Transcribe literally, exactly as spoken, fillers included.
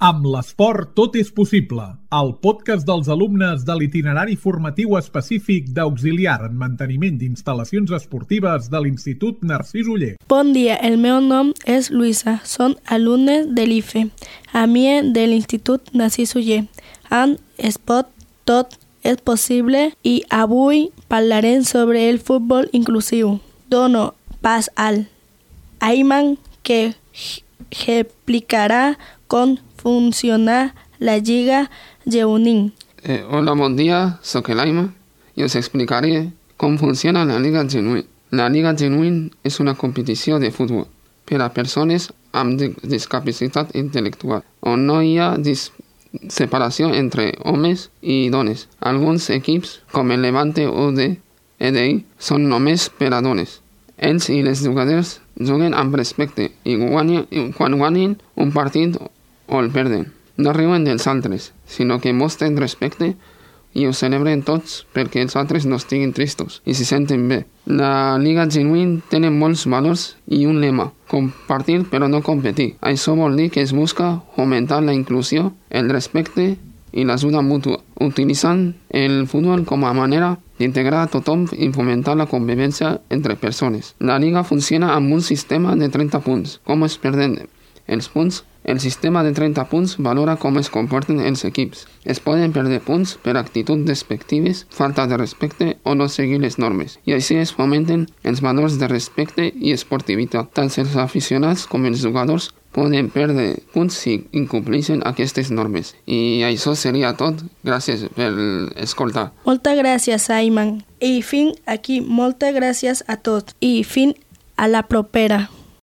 Amb l'esport tot és possible. El podcast dels alumnes de l'itinerari formatiu específic d'auxiliar en manteniment d'instal·lacions esportives de l'Institut Narcís Oller. Bon dia, el meu nom és Luisa. Som alumnes de l'I F E, a mi de l'Institut Narcís Oller. En esport tot és possible i avui parlarem sobre el futbol inclusiu. Dono pas al Ayman que explicarà com funciona la Lliga Genuïn. Eh, hola, bon dia, soc l'Ayman i us explicaré com funciona la Lliga Genuïn. La Lliga Genuïn és una competició de futbol per a persones amb discapacitat intel·lectual, on no hi ha dis- separació entre homes i dones. Alguns equips, com el Levante o de E D I, són només per a dones. Ells i les jugadors juguen amb respecte i guanyen, quan guanyen un partit o el perden. No riuen dels altres, sinó que mostren respecte i ho celebren tots perquè els altres no estiguin tristos i se senten bé. La Lliga Genuïn té molts valors i un lema: compartir però no competir. Això vol dir que es busca fomentar la inclusió, el respecte i l'ajuda mútua, utilitzant el futbol com a manera d'integrar a tothom i fomentar la convivència entre persones. La Lliga funciona amb un sistema de trenta punts. Com es perden els punts? El sistema de trenta punts valora com es comporten els equips. Es poden perdre punts per actituds despectives, falta de respecte o no seguir les normes. I així es fomenten els valors de respecte i esportivitat. Tant els aficionats com els jugadors poden perdre punts si incompleixen aquestes normes. I això seria tot. Gràcies per escoltar. Moltes gràcies, Ayman. I fins aquí, moltes gràcies a tots. I fins a la propera.